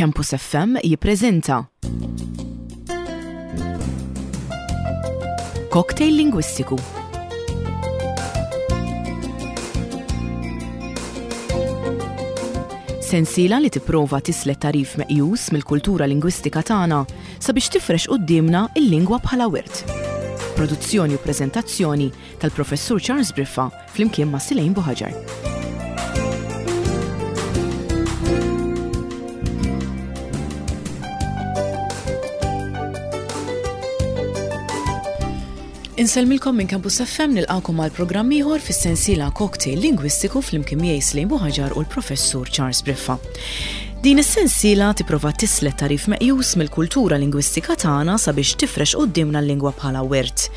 Campus FM jippreżenta Cocktail Lingwistiku. Sensiela li tipprova tislet tagħrif meqjus mill-kultura lingwistika tagħna sabiex tifrex quddiemna l-lingwa bħala wirt. Produzzjoni u preżentazzjoni tal-Professur Charles Briffa flimkien ma' Silejn Buħaġar. Insellmilkom minn Campus FM nilqakom għal programm ieħor fis-sensiela Cocktail Lingwistiku flimkien miegħi Slejn Buħaġar u l-Professur Charles Briffa. Din is-sensiela tipprova tislet tagħrif meqjus mill-kultura lingwistika tagħna sabiex tifrex quddiemna l-lingwa bħala wirt.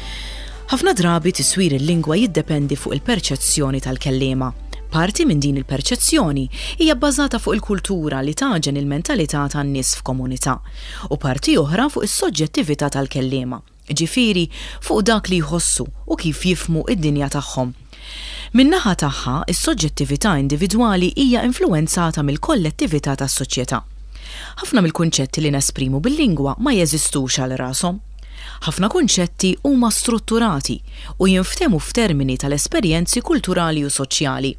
Ħafna drabi tiswir il-lingwa jiddependi fuq il-perċezzjoni tal-kelliema. Parti minn din il-perċezzjoni hija bbażata fuq il-kultura li tagħġen il-mentalità tan-nies f'komunità, u parti oħra fuq is-soġġettività tal-kelliema, jiġifieri fuq dak li jħossu u kif jifhmu d-dinja tagħhom. Min-naħa tagħha, is-soġġettività individwali hija influwenzata mill-kollettività tas-soċjetà. Ħafna mill-kunċetti li nesprimu bil-lingwa ma jeżistux għal rashom. Ħafna kunċetti huma strutturati u jinftehmu f'termini tal-esperjenzi kulturali u soċjali.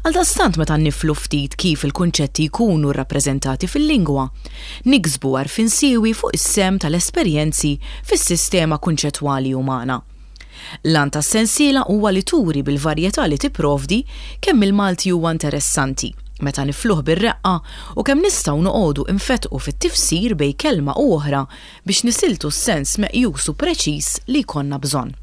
Għaldaqstant meta niflu ftit kif il-kunċetti jkunu rrappreżentati fil-lingwa, niksbu għarfien siewi fuq is-sehem tal-esperjenzi fis-sistema kunċettwali umana. L-għan tas-sensiela huwa li turi bil-varjetà li tipprovdi kemm il-Malti huwa interessanti meta nifluh bir-reqqa u kemm nistgħu noqogħdu nfettqu fit-tifsir bejn kelma u oħra biex nisiltu s-sens meqjus u preċiż li jkollna bżonn.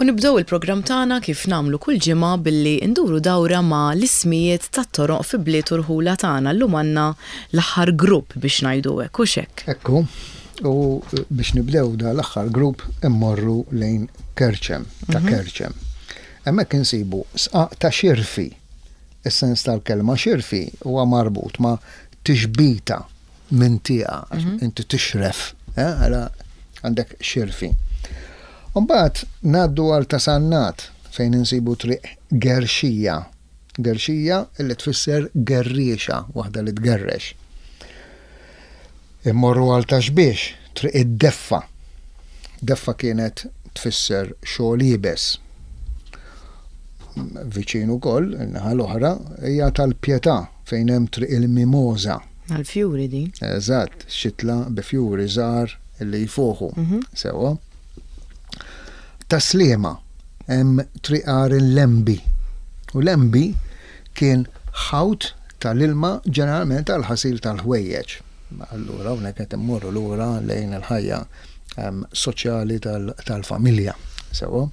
U nibdew il-programm tagħna kif nagħmlu kull ġimgħa billi nduru dawra ma' l-ismijiet tat-toroq fi bliet u rħula tagħna. Llum għandna l-aħħar grupp biex ngħidu hekk, hux hekk? Hekk hu. U biex nibdew da l-aħħar grupp immorru lejn Kerċem, ta' Kerċem. Hemmhekk insibu sqaq ta' xirfi. Is-sens tal-kelma xirfi huwa marbut ma' tixbita minn tieqa, għax mhm. inti tixref, eh, għala għandek xirfi. Mbagħad ngħaddu għal ta' Sannat fejn insibu triq Gerxija. Gerxija illi tfisser gerriexa, waħda li tgerrex. Immorru għal ta' Xbiex, triq id-Deffa. Deffa kienet tfisser xogħol iebes. Viċin ukoll, in-naħa l-oħra, hija tal-Pietà fejn hemm Triq il-Mimosa. Għall-fjuri din. Eżatt, xitla bi fjuri żgħar li jfuħu. Mhm. Sewwa. Tas-Sliema hemm Triq Għar il-Lembi. U Lembi kien ħawt tal-ilma ġeneralment għall-ħasil tal-ħwejjeġ. Allura hawnhekk qed immorru lura lejn il-ħajja ehm, soċjali tal-familja. Sewwa.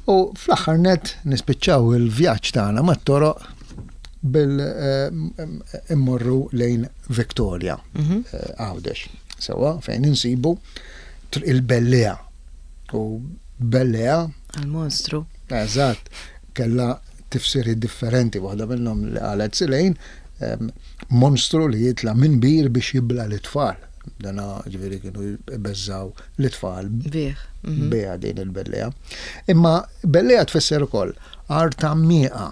U fl-aħħar nett nispiċċaw il-vjaġġ tagħna mat-toroq bil eh, immorru lejn Victoria, mhm. eh, Għawdex. Sewwa fejn insibu il-Bellea. U Bellea. Għal-monstru. Eżatt, kella tifsiri differenti, waħda minnhom li qalet Silejn, monstru li jitla' minn bir biex jibla' lit-tfal. Dana ġifieri kienu jbeżżgħu lit-tfal. Bih. Mhm. Biha din il-bellea. Imma bellea tfisser ukoll art għammieqa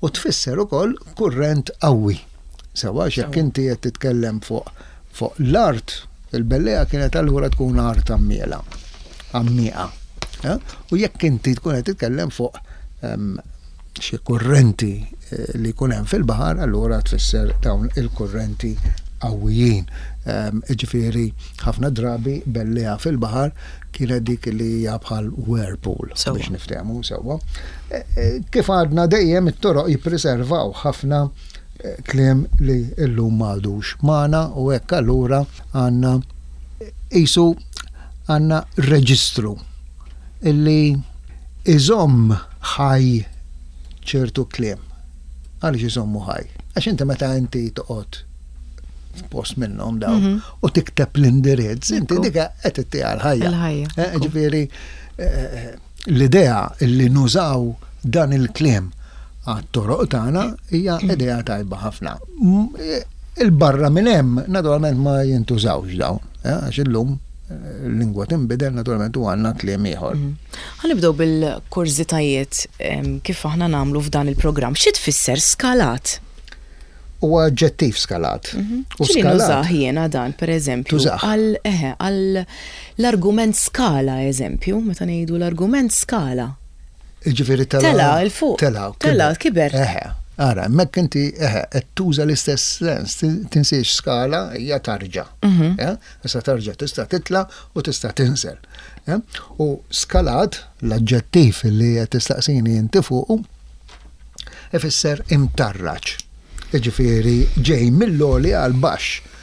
u tfisser ukoll kurrent qawwi. Sewwa għax jekk inti qed titkellem fuq fuq l-art, il-bellea kienet allura tkun art għammiela, għammieqa. Eh? U jekk inti tkun qed titkellem fuq ehm, xi kurrenti eh, li jkun hemm fil-baħar, allura tfisser dawn il-kurrenti qawwijin. Ehm, ġifieri ħafna drabi bellea fil-baħar kienet dik li hija bħal whirlpool biex niftehmu sewwa. Eh, eh, kif għadna dejjem it-toroq jippreservaw ħafna kliem li llum m'għadux magħna u hekk allura għandna qisu għandna reġistru illi iżomm ħaj ċertu kliem. Għaliex iżommu ħaj? Għax inti meta inti toqgħod f'post minnhom dawn mhm. u tikteb l-indirizz, inti dika qed ittiha l-ħajja. Eh, ġifieri eh, l-idea li nużaw dan il-kliem għat-toroq tagħna hija idea tajba ħafna. Il-barra minn hemm naturalment ma jintużawx dawn, eh, għax illum eh, l-lingwa tinbidel naturalment u għandna kliem ieħor. Mhm. Ħa nibdew bil-kurżitajiet kif aħna nagħmlu f'dan il-programm. Xi tfisser skalat? Huwa aġġettiv skalat. U skalat. Nużah jiena dan, per eżempju. Għal, eħe, għal l-argument skala, eżempju, meta ngħidu l-argument skala. Ġifieri tela. Tela, 'il fuq. Tela, tela, kiber. Eħe. Ara, hemmhekk inti eħe, qed tuża l-istess sens, tinsiex skala hija tarġa. Mhm. Eh? Issa tarġa tista' titla' u tista' tinżel. Eh? U skalat, l-aġġettiv li qed tistaqsini inti fuqu, ifisser imtarraġ. Jiġifieri ġej mill-għoli għal baxx.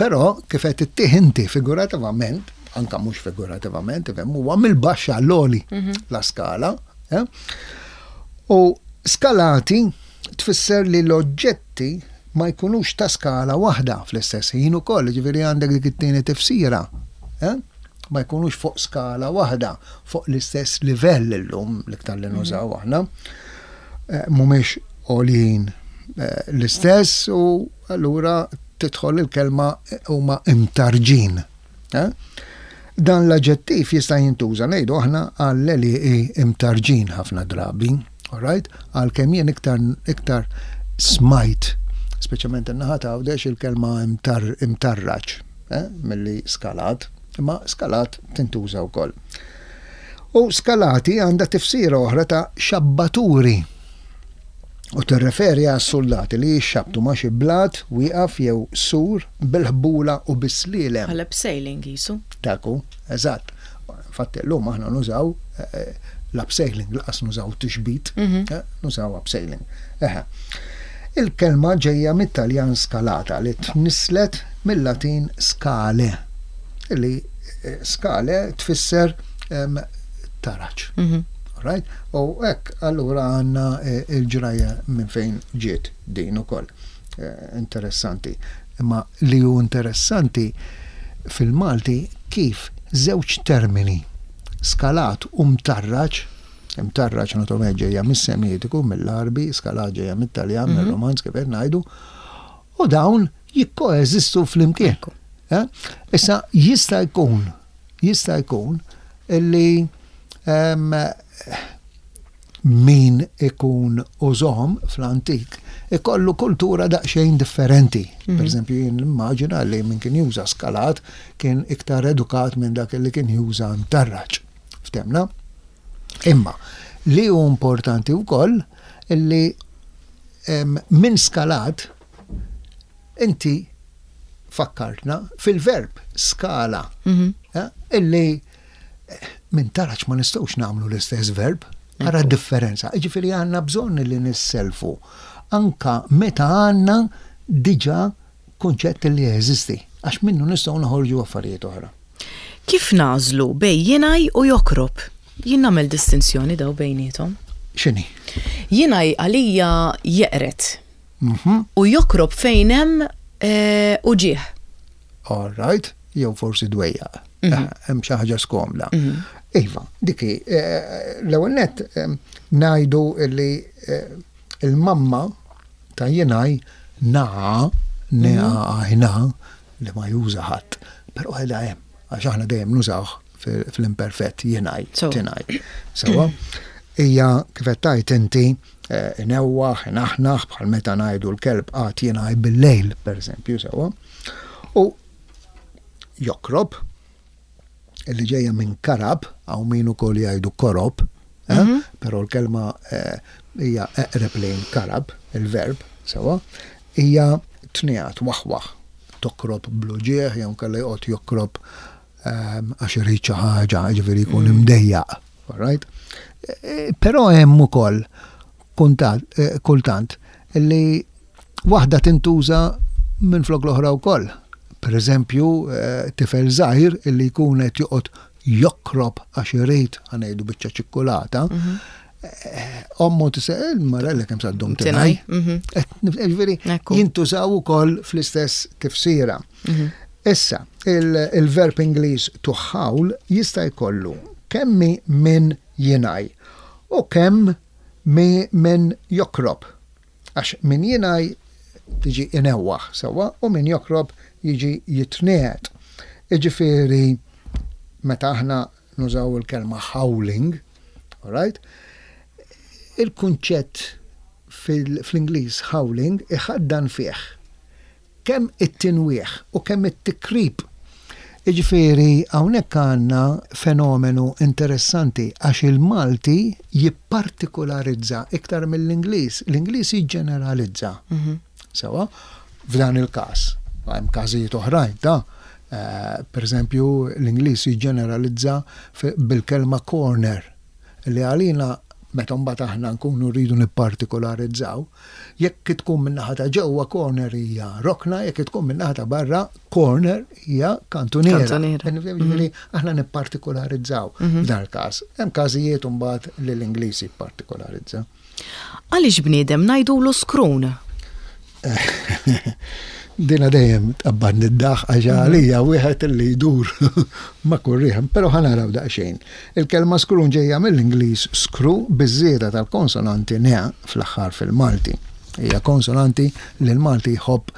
Però kif qed ittih inti figurativament, anka mhux figurativament, ifhem huwa mill-baxx għall-għoli mhm. la skala. Eh? U skalati tfisser li l-oġġetti ma jkunux ta' skala waħda fl-istess ħin ukoll, ġifieri għandek dik it-tieni tifsira. Eh? Ma jkunux fuq skala waħda, fuq l-istess livell illum l-iktar li nużaw aħna. Eh, mhumiex għoljin eh, l-istess u allura tidħol il-kelma eh, huma imtarġin. Dan l-aġġettiv jista' jintuża ngħidu aħna għall-għelieqi imtarġin ħafna drabi, alright? Għalkemm jien iktar iktar smajt, speċjalment in-naħa ta' Għawdex il-kelma imtarraġ. eh, milli skalat, imma skalat tintuża wkoll. U skalati għandha tifsira oħra ta' xabbaturi u tirreferi għas soldati li jixxabtu ma' xi blat wieqaf jew sur bil-ħbula u bis-slielem. Bħal abseiling qisu. Dak hu, eżatt. Infatti llum aħna nużaw eh, l-abseiling, laqas nużaw tixbit, mhm. eh, nużaw abseiling. Eħe. Il-kelma ġejja mit-Taljan scalata li tnisslet mil-Latin scale, li eh, scale tfisser taraġ. Mhm. Right? U hekk allura għandna eh, il-ġrajja minn fejn ġiet din ukoll. Eh, interessanti. Imma li hu interessanti fil-Malti kif żewġ termini skalat u mtarraġ Imtarraġ naturalment ġejja mis-Semitiku, mill-Għarbi, skalat ġejja mit-Taljan, mhm. mir-Romanz kif qed ngħidu, u dawn jikkoeżistu flimkien. Eh? Issa jista' jkun, jista' jkun illi ehm, min ikun użom fl-antik ikollu kultura daqsxejn differenti. Mm -hmm. Per eżempju, jien immaġina li min kien juża skalat kien iktar edukat minn dak li kien juża mtarraġ. Ftemna? Imma li hu importanti wkoll illi minn skalat inti fakkartna fil-verb skala mhm. eh, illi eh, minn taraċ ma nistgħux nagħmlu l-istess verb. Ara differenza. Ġifieri għandna bżonn li nisselfu anka meta għandna diġà kunċett li jeżisti, għax minnu nistgħu noħorġu affarijiet oħra. Kif nagħżlu bejn jingħaj u jokrob? Jien nagħmel distinzjoni daw bejniethom. X'inhi? Jingħaj għalija jeqred. Mhm. U jokrob fejn hemm eh, uġigħ. All right, jew forsi dwejjaq. Mhm. Eh, hemm xi ħaġa skomda. Mhm. Iva, diki, eh, l-ewwel nett ngħidu li il-mamma Ta' jingħaj naqa, n-e-a-a-ħna, li ma juża ħadd, però qiegħda hemm, għax aħna dejjem nużawh fl-imperfett jingħaj, tingħaj. Sewwa? Hija kif qed tgħid inti eh, inewwaħ, inaħnaħ bħal meta ngħidu l-kelb qagħad jingħaj bil-lejl, pereżempju, sewwa. U jokrob, li ġejja minn karab, hawn min ukoll jgħidu korob, eh? mhm. però l-kelma eh, hija eqreb lejn karab, il-verb, sewa, hija tniegħat waħwaħ, tokrob bluġieħ jew kellha joqgħod jokrob ehm, għax irid xi ħaġa, ġifieri jkun mm. imdejjaq, right? Eh, però hemm ukoll kultant li waħda tintuża minflok l-oħra wkoll. Per eżempju, eh, tifel żgħir illi jkun qed joqgħod jokrob għax irid ħanejdu biċċa ċikkulata, mhm. eh, ommu tisa il-marella kemm saddum tinaj. Mhm. Ġifieri jintużaw ukoll fl-istess tifsira. Mhm. Issa, il-verb Ingliż to howl jista' jkollu kemmi minn jinaj u kemm minn jokrob. Għax min jingħi tiġi inewwaħ sewwa u min jokrob jiġi jitniegħed. Jiġifieri meta aħna nużaw il-kelma howling, all right, il-kunċett fl-Ingliż howling iħaddan fih kemm it-tinwieħ u kemm it-tikrib. Jiġifieri hawnhekk għandna fenomenu interessanti għax il-Malti jippartikularizza iktar mill-Ingliż. L-Ingliż jiġġeneralizza. Sewwa? F'dan il-każ. Hemm każijiet oħrajn ta'. Per eżempju, l-Ingliż jiġġeneralizza bil-kelma corner li għalina meta mbagħad aħna nkunu rridu nippartikularizzaw, Jekk tkun min-naħa ta' ġewwa corner hija rokna, jekk tkun min-naħa ta' barra corner hija kantuniera. Kantuniera. Ġifieri aħna nippartikularizzaw f'dan il-każ. Hemm każijiet imbagħad li l-Ingliż jippartikularizza. Għaliex bniedem ngħidulu skrun? Dina dejjem tqabbadni d-daħq għax għalija wieħed li jdur ma' kull riħ, però ħa naraw daqsxejn. Il-kelma skrun ġejja mill-Ingliż screw biż-żieda tal-konsonanti ne fl-aħħar fil-Malti. Hija konsonanti li l-Malti jħobb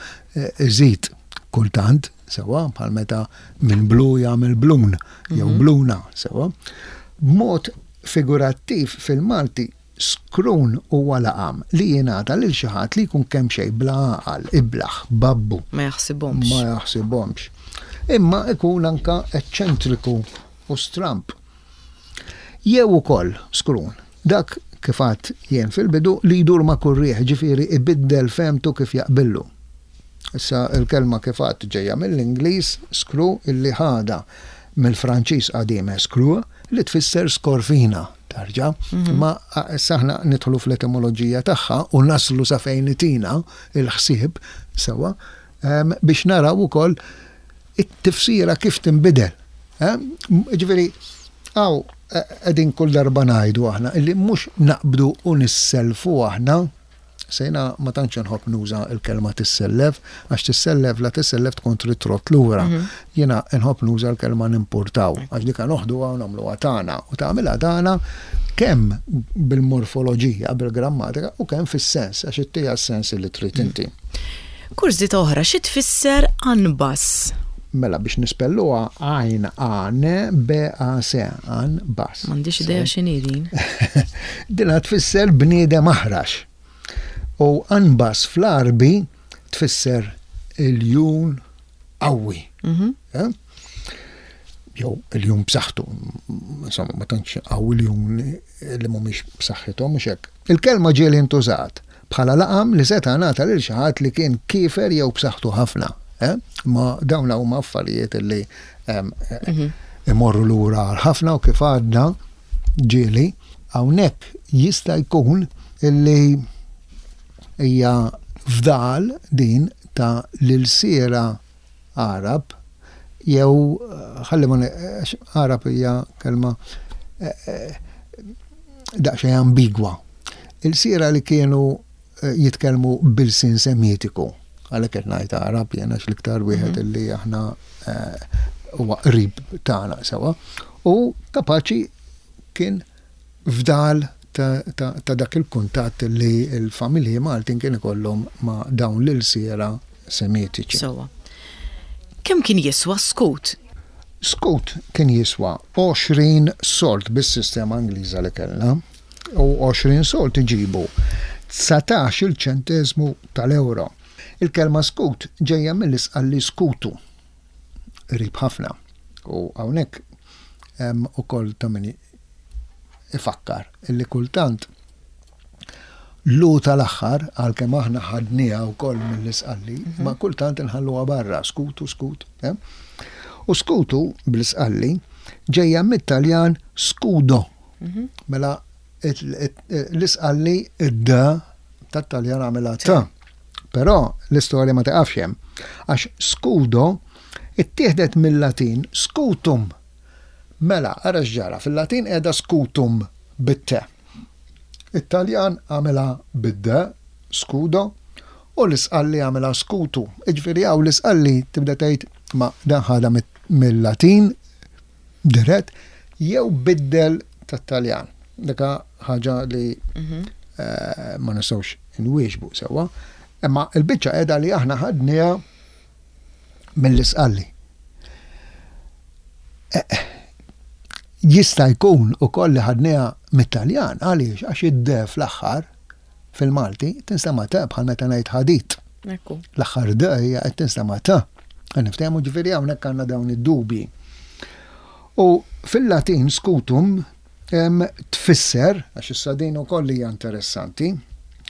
iżid kultant, sewwa, bħal meta minn blu jagħmel blun jew bluna, sewwa. B'mod figurattiv fil-Malti Skrun huwa laqam li jingħata lil xi ħadd li jkun kemxejn bla għaqal, iblah, babbu. Ma jaħsibhomx. Ma jaħsibhomx. Imma ikun anka eċċentriku u stramb. Jew ukoll skrun, dak kif għedt jien fil-bidu li jdur ma' kull riħ, ġifieri ibiddel fehmtu kif jaqbillu. Issa l-kelma kif għedt ġejja mill-Ingliż screw illi ħadha mill-Franċiż qadim escrew li tfisser skorfina tarġa'. Imma issa aħna nidħlu fl-etimoloġija tagħha u naslu sa fejn itina l-ħsieb sewwa biex naraw ukoll it-tifsira kif tinbidel. Ġifieri hawn qegħdin kull darba ngħidu aħna illi mhux naqbdu u nisselfu aħna Se jiena ma tantx inħobb nuża l-kelma tissellef, għax tissellef la tissellef tkun trid trott lura. Jiena nħobb nuża l-kelma nimpurtaw, għax dika noħduha u nagħmluha tagħna u tagħmilha tagħna kemm bil-morfoloġija, bil-grammatika u kemm fis-sens, għax ittiha s-sens li trid inti. Kurżità oħra, xi tfisser anbas? Mela biex nispelluha għajn A N B A S, anbas. M'għandix idea x'inhi din. Dinha tfisser bniedem aħrax. U anbas fl-Għarbi tfisser iljun qawwi. Eh? Jew iljun b'saħħtu. Insomma, ma tantx qawwi iljun li mhumiex b'saħħithom mhux hekk. Il-kelma ġieli ntużat bħala laqam li seta' ngħata lil xi ħadd li kien kiefer jew b'saħħtu ħafna. Eh? Ma dawn huma affarijiet li imorru lura għal ħafna u kif għadna ġieli hawnhekk jista' jkun illi hija fdal din ta' l-ilsiera Għarab jew ħalli ma Għarab hija kelma daqsxejn ambigwa. Ilsiera li kienu jitkellmu b'ilsien Semitiku, għalhekk qed ngħid Għarab jien għax l-iktar wieħed illi aħna huwa qrib tagħna sewwa, u kapaċi kien fdal ta' dak il-kuntatt li l-familji Maltin kien ikollhom ma' dawn l-ilsiera Semitiċi. Sewwa. Kemm kien jiswa skut? Skut kien jiswa 20 sold bis-sistema Ingliża li kellna. U 20 sold iġibu 19-il ċenteżmu tal-ewro. Il-kelma skut ġejja mill-Isqalli skutu, qrib ħafna. U hawnhekk hemm ukoll ta' min ifakkar illi kultant l-u tal-aħħar, għalkemm aħna ħadniha wkoll mill-Isqalli, ma kultant inħalluha barra, skutu, skut. Eh? U skutu bl-Isqalli ġejja mit-Taljan scudo. Mela l-Isqalli id-d tat-Taljan għamilha t. Però l-istorja ma tiqafx hemm, għax scudo ittieħdet mill-Latin scutum. Mela, ara x'ġara, fil-Latin qiegħda scutum bit-t. It-Taljan għamilha bid-d, scudo, u l-Isqalli għamilha scutu. Jiġifieri hawn l-Isqalli tibda tgħid ma dan ħadha mill-Latin dirett jew biddel tat-Taljan. Dik ħaġa li ma nistgħux inwieġbu sewwa. Imma l-biċċa qiegħda li aħna ħadniha mill-Isqalli. Jista' jkun ukoll li ħadniha mit-Taljan, għaliex? Għax id-d fl-aħħar. fil-Malti tinstema' t bħal meta ngħid ħadid. L-aħħar d hija qed tinstema' t. Niftehmu ġifieri hawnhekk għandna dawn id-dubji. U fil-Latin scutum tfisser, għax issa din ukoll hija interessanti,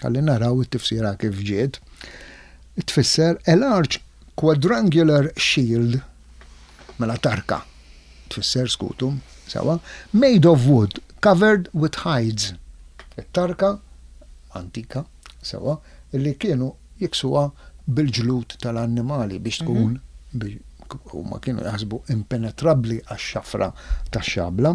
ħalli naraw it-tifsira kif ġiet, tfisser a large quadrangular shield, mela tarka, tfisser scutum, sewa, made of wood covered with hides. It-tarka antika, sewa, li kienu jiksuha bil-ġlud tal-annimali biex tkun huma kienu jaħsbu impenetrabbli għax-xafra tax-xabla.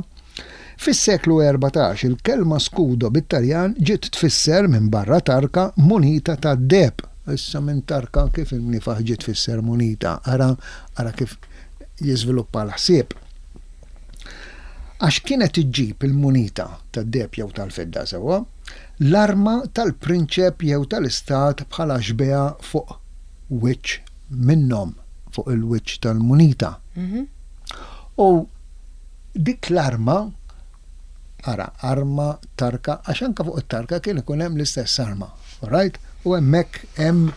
Fis-seklu 14 il-kelma scudo bit-Taljan ġiet tfisser minbarra tarka munita tad-deheb. Issa minn tarka kif imniefaħ ġiet tfisser munita? Ara ara kif jiżviluppa l-ħsieb. Għax kienet iġġib il-munita tad-deheb jew tal-fidda sewwa, l-arma tal-prinċep jew tal-istat bħala xbieha fuq wiċċ minnhom, fuq il-wiċċ tal-munita. U dik l-arma, ara, arma, tarka, għax anke fuq it-tarka kien ikun hemm l-istess arma, all right? U hemmhekk hemm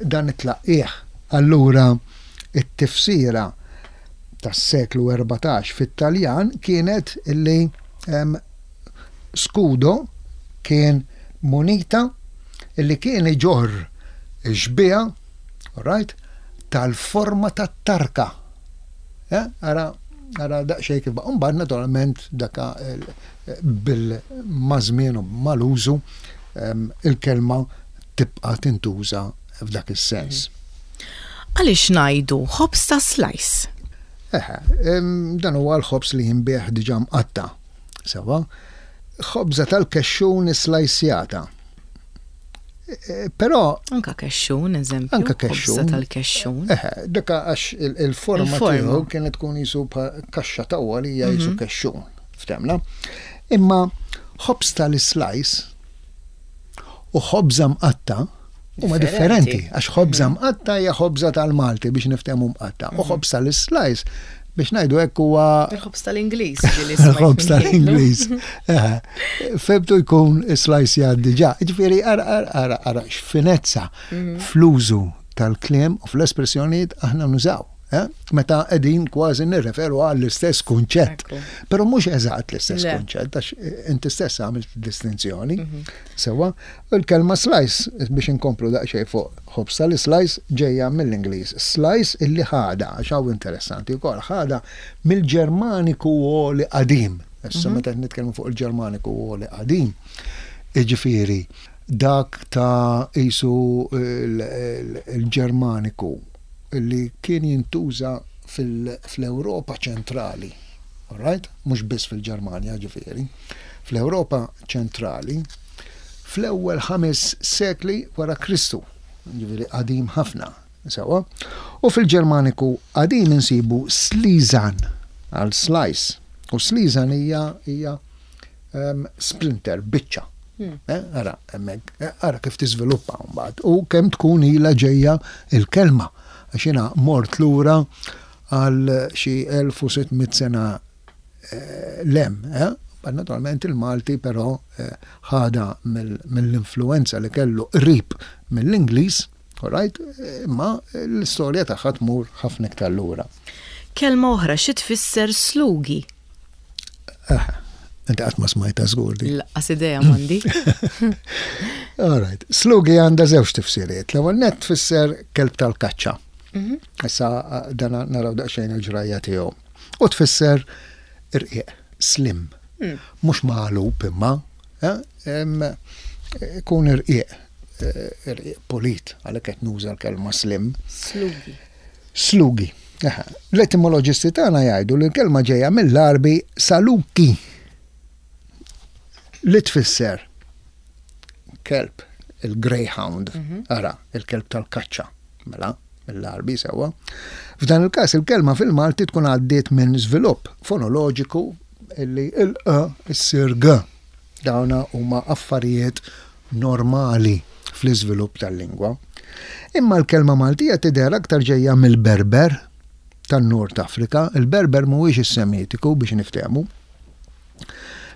dan it-tlaqqigħ. Allura it-tifsira tas-seklu 14 fit-Taljan kienet illi scudo kien munita illi kien iġorr ix-xbieha, all right, tal-forma tat-tarka. Eh, ara, ara daqsxejn kif baqa'. Mbagħad naturalment daka bil maż-żmien u mal-użu il-kelma tibqa' tintuża f'dak is-sens. Għaliex ngħidu ħobż ta' slice? Eħe, dan huwa l-ħobż li jinbiegħ diġà mqatta'. Sewwa? Ħobża tal-kexxun islajsjata. Però. Anka kexxun, eżempju. Anka kexxun. Ħobża tal-kexxun. Eħe, dak għax il-forma tiegħu kienet tkun jisu kaxxa ta' għalija jisu mhm. kexxun. Ftemna. Imma ħobż tal-slice u ħobża mqatta huma differenti għax ħobża mhm. mqatta hija ħobża tal-Malti biex niftehmu mqatta u mhm. ħobż tal-slice biex ngħidu hekk huwa Il-ħobż tal-Ingliż. Il-ħobż tal-Ingliż. Febtu jkun slice jgħaddi ġa. Ġifieri ara ara ara ara x'finezza mhm. fl-użu tal-kliem u fl-espressjonijiet aħna nużaw. Eh? Meta qegħdin kważi nirreferu għall-istess kunċett. Però mhux eżatt l-istess kunċett, għax eh, inti stess għamilt distinzjoni. Mhm. Sewa, il-kelma slice, biex inkomplu daqsxejn fuq ħobż tal-slice ġejja mill-Ingliż. Slice illi ħada, għax hawn interessanti wkoll, ħada mill-Ġermaniku għoli qadim. Issa mhm. meta nitkellmu fuq il-Ġermaniku għoli qadim, jiġifieri dak ta' isu il-Ġermaniku li kien jintuża fl-Ewropa ċentrali, all right? Mhux biss fil-Ġermanja ġifieri, fl-Ewropa ċentrali fl-ewwel ħames sekli wara Kristu, ġifieri qadim ħafna, sewwa. U fil-Ġermaniku qadim insibu slizan għal slice, u slizan hija hija splinter, biċċa. Hmm. Eh, ara, hemmhekk, eh, ara kif tiżviluppa mbagħad u kemm tkun ilha ġejja il-kelma. Għax jiena mort lura għal xi 1600 sena eh, lem, eh? Naturalment il-Malti però ħada mill-influenza li kellu qrib mill-Ingliż, right? Imma l-istorja tagħha tmur ħafna iktar lura. Kelma oħra xi tfisser slugi? Inti qatt ma smajta żgur di. Laqqas idea m'għandi. All right. Slugi għandha żewġ tifsiriet. L-ewwel nett tfisser kelb tal-kaċċa. Mhm. Issa dan naraw daqsxejn il-ġrajja tiegħu. U tfisser irqiq, slim. Mm. Mhux magħlub imma, eh, ikun irqiq, eh, irqiq pulit, għalhekk qed nuża l-kelma slim. Slugi. Slugi. L-etimoloġisti tagħna jgħidu li l-kelma ġejja mill-Għarbi saluki li tfisser kelb, il-greyhound, mhm. ara, il-kelb tal-kaċċa, mela, mill-Għarbi sewwa. F'dan il-każ il-kelma fil-Malti tkun għaddiet minn żvilupp fonoloġiku illi il-q issir g. Dawna huma affarijiet normali fl-iżvilupp tal-lingwa. Imma l-kelma Maltija tidher aktar ġejja mill-Berber tan-Nord Afrika, il-Berber mhuwiex is-Semitiku biex niftehmu.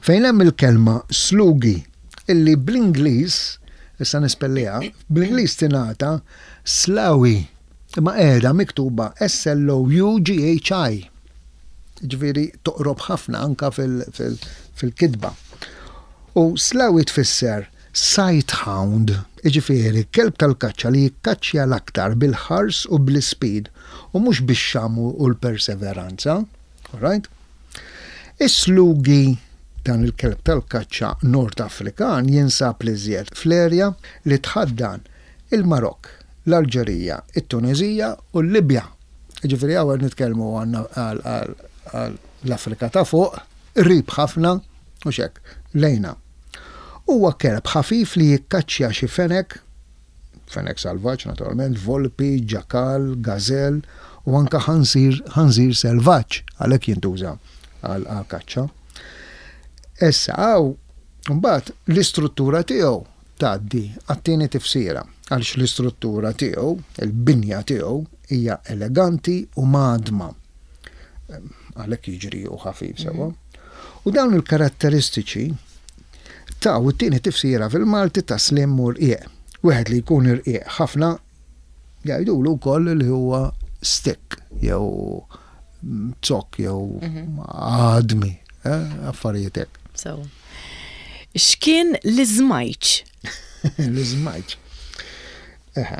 Fejn hemm il-kelma slugi illi bl-Ingliż Issa nispelliha, bl-Ingliż tingħata Sloughi, imma qiegħda miktuba S-L-O-U-G-H-I. Ġifieri toqrob ħafna anka fil-kitba. U Sloughi tfisser sight hound, jiġifieri kelb tal-kaċċa li jikkaċċja l-aktar bil-ħars u bl-ispeed u mhux bix-xamm u l-perseveranza. Alright? Is-Sloughi, dan il-kelb tal-kaċċa Nord Afrikan jinsab l-iżjed fl-erja li tħaddan il-Marokk, l-Alġerija, it-Tuneżija u l-Libja. Jiġifieri hawn qed nitkellmu għandna għall-Afrika ta' fuq, qrib ħafna, mhux hekk, lejna. Huwa kelb ħafif li jikkaċċja xi fenek, fenek salvaġġ naturalment, volpi, ġakal, gażell u anke ħanżir, ħanżir selvaġġ, għalhekk jintuża għall-kaċċa. Issa hawn mbagħad l-istruttura tiegħu tgħaddi għat-tieni tifsira, għaliex l-istruttura tiegħu, il-binja tiegħu hija eleganti u mgħaddma. Għalhekk jiġri u ħafif sewwa. U dawn il-karatteristiċi taw it-tieni tifsira fil-Malti ta' slim u rqiq. Wieħed li jkun irqiq ħafna jgħidulu wkoll li huwa stick jew zokk jew għadmi, affarijiet hekk. Sewwa. X'kien l-iżmajċ? L-iżmajċ. Eħe,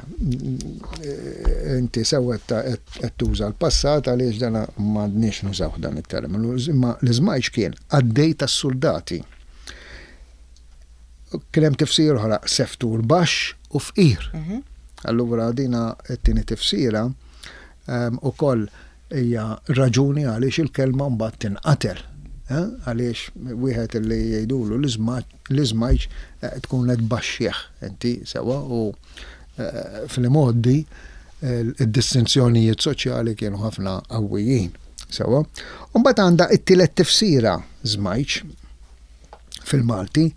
inti sewwa qed tuża l-passat għaliex dana m'għadniex nużawh dan it-terminu, imma l-iżmajċ kien qaddej tas-suldati. Kien hemm tifsira oħra seftur baxx u fqir. Allura dina t-tieni tifsira ukoll hija raġuni għaliex il-kelma mbagħad tinqatel. Għaliex wieħed li jgħidulu l-iżmajġ tkun qed tbaxxih inti sewwa u fl-imgħoddi id-distinzjonijiet soċjali kienu ħafna qawwijin. Sewwa. U mbagħad għandha t-tielet tifsira żmajġ fil-Malti,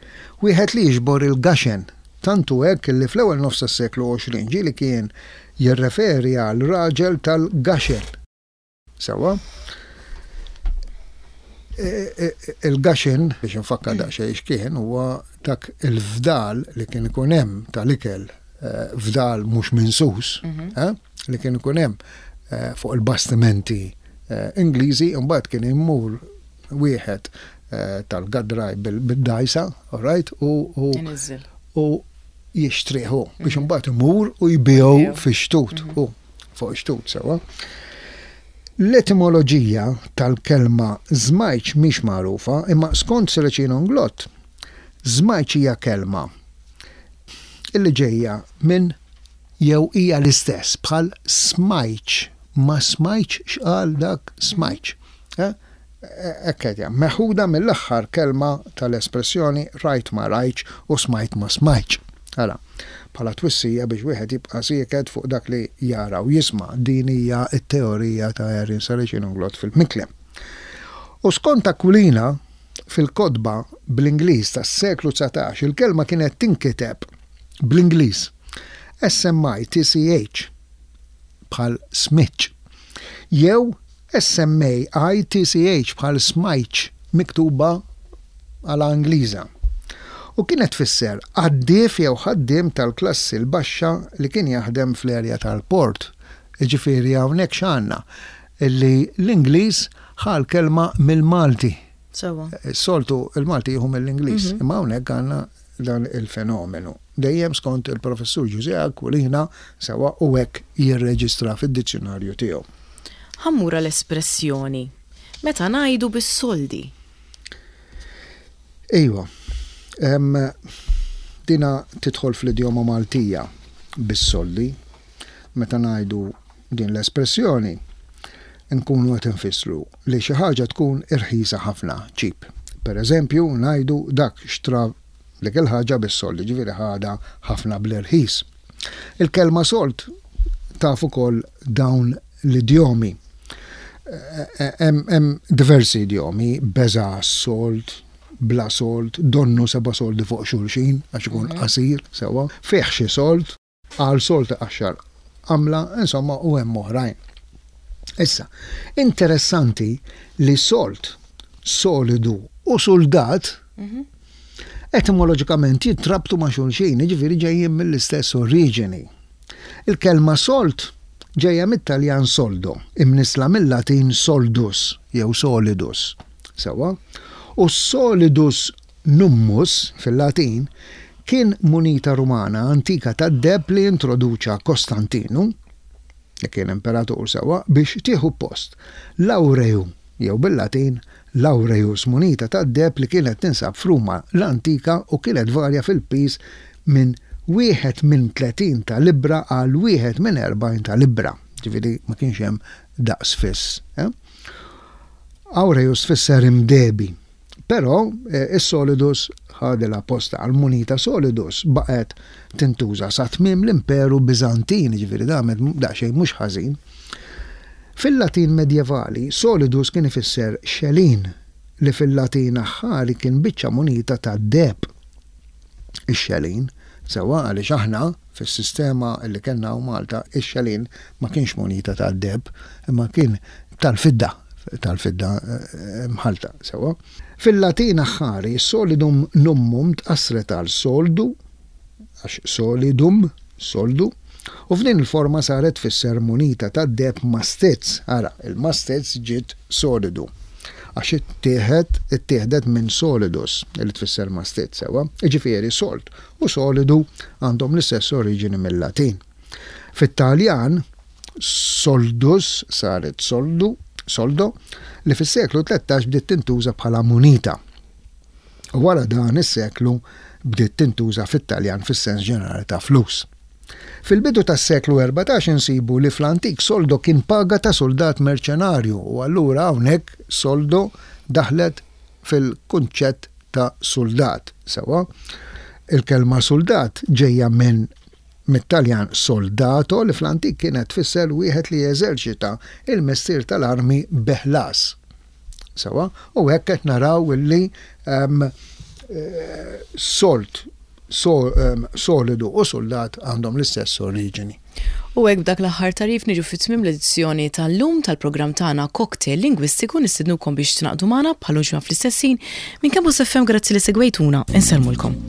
wieħed li jiġbor il-gaxen. Tant hu hekk li fl-ewwel nofs tas-seklu 20 ġieli kien jirreferi għal raġel tal-gaxen. Sewwa? Il-gaxen, biex infakkar daqsxejn x'kien, huwa dak il-fdal li kien ikun hemm tal-ikel, fdal mhux minsus, li kien ikun hemm fuq il-bastimenti Ingliżi, imbagħad kien imur wieħed tal-gadraj bil-dajsa, all right, u u jixtrih hu biex imbagħad imur u jbigħu fix-xtut, hu fuq ix-xtut sewwa. L-etimoloġija tal-kelma żmajċ mhix magħrufa, imma skont Serracino Inglott, żmajċ hija kelma illi ġejja minn jew hija l-istess bħal smajċ, ma smajtx x'qal dak smajċ. Hekk qed jgħid. Meħuda mill-aħħar kelma tal-espressjoni rajt ma rajtx u smajt ma smajtx. Ara, bħala twissija biex wieħed jibqa' sieket fuq dak li jara u jisma'. Din hija t-teorija ta' Erin Saracino Inglott fil-Miklem. U skont Aquilina, fil-kotba bl-Ingliż tas-seklu 19 il-kelma kienet tinkiteb bl-Ingliż S-M-I-T-C-H bħal smitch jew S-M-A-I-T-C-H bħal smajtx miktuba għala Ingliża u kienet tfisser qaddief jew ħaddiem tal-klassi l-baxxa li kien jaħdem fl-erja tal-port. Jiġifieri hawnhekk x'għandna? Illi l-Ingliż ħa l-kelma mill-Malti. Sewwa. Is-soltu l-Malti jieħu mill-Ingliż, imma hawnhekk għandna dan il-fenomenu. Dejjem skont il-Professur Ġużè Aquilina sewwa u hekk jirreġistra fid-dizzjunarju tiegħu. Ħa mmur għal espressjoni meta ngħidu bis-soldi. Iva. Dina tidħol fl-idjoma Maltija bis-soldi. Meta ngħidu din l-espressjoni, nkunu qed infissru li xi ħaġa tkun irħisa ħafna, cheap. Per eżempju, ngħidu dak xtra dik il-ħaġa bis-sold, jiġifieri ħadha ħafna bl-irħis. Il-kelma sold taf ukoll dawn l-idjomi. Hemm diversi idjomi, beża' għas-sold, bla sold, donnu seba' soldi fuq xulxin għax ikun qasir sewwa, fih xi sold, Għal sold iqaxxar għamla, insomma, u hemm oħrajn. Issa, interessanti li sold, solidu u suldat mhm. Etimoloġikament jintrabtu ma' xulxin, jiġifieri ġejjin mill-istess oriġini. Il-kelma sold ġejja mit-Taljan soldo, imnissla mil-Latin soldus jew solidus. Sewwa? U solidus nummus fil-Latin kien munita Rumana antika tad-deheb li introduċa Kostantinu, li kien imperatur sewwa, biex tieħu post l-aureum jew bil-Latin laureus, munita tad-deheb li kienet tinsab f'Ruma l-antika u kienet tvarja fil-piż minn wieħed minn 30 ta' libbra għal wieħed minn 40 ta' libbra, ġifieri ma kienx hemm daqs fiss. Aureus tfisser imdehbi. Però is-solidus ħadilha postha. Il-munita solidus baqgħet tintuża sa tmiem l-Imperu Biżantin, jiġifieri damet daqsxejn mhux ħażin. Fil-Latin medjevali, solidus kien ifisser xelin, li fil-Latin aħħari kien biċċa munita tad-deheb. Ix-xelin, sewwa għaliex aħna fis-sistema li kellna hawn Malta, ix-xelin ma kienx munita tad-deheb, imma kien tal-fidda, tal-fidda mħallta, sewwa. Fil-Latin aħħari, solidum nummum tqassret għal soldu, għax solidum, soldu, u f'din il-forma saret tfisser munita tad-deheb mastizz, ara, il-mastizz ġiet solidu, għax ittieħed, ittieħdet minn solidus, li tfisser mastizz, sewwa. Jiġifieri sold u solidu għandhom l-istess oriġini mil-Latin. Fit-Taljan, soldus saret soldu, soldo, li fis-seklu 13 bdiet tintuża bħala munita. U wara dan is-seklu bdiet tintuża fit-Taljan fis-sens ġenerali ta' flus. Fil-bidu tas-seklu 14 insibu li fl-antik soldo kien paga ta' suldat merċenarju u allura hawnhekk soldo daħlet fil-kunċett ta' suldat. Sewwa, il-kelma suldat ġejja minn mit-Taljan soldato li fl-antik kienet tfisser wieħed li jeżerċita il-mestier tal-armi bi ħlas. Sewwa, u hekk qed naraw illi ehm, eh, sold so, ehm, solidu u soldat għandhom l-istess oriġini. U hekk b'dak l-aħħar tagħrif niġu fi tmiem l-edizzjoni tal-lum tal-programm tagħna Cocktail Lingwistiku nistednukom biex tingħaqdu magħna bħal ġimgħa fl-istess ħin minn Campus FM grazzi li segwejtuna insellmulkom.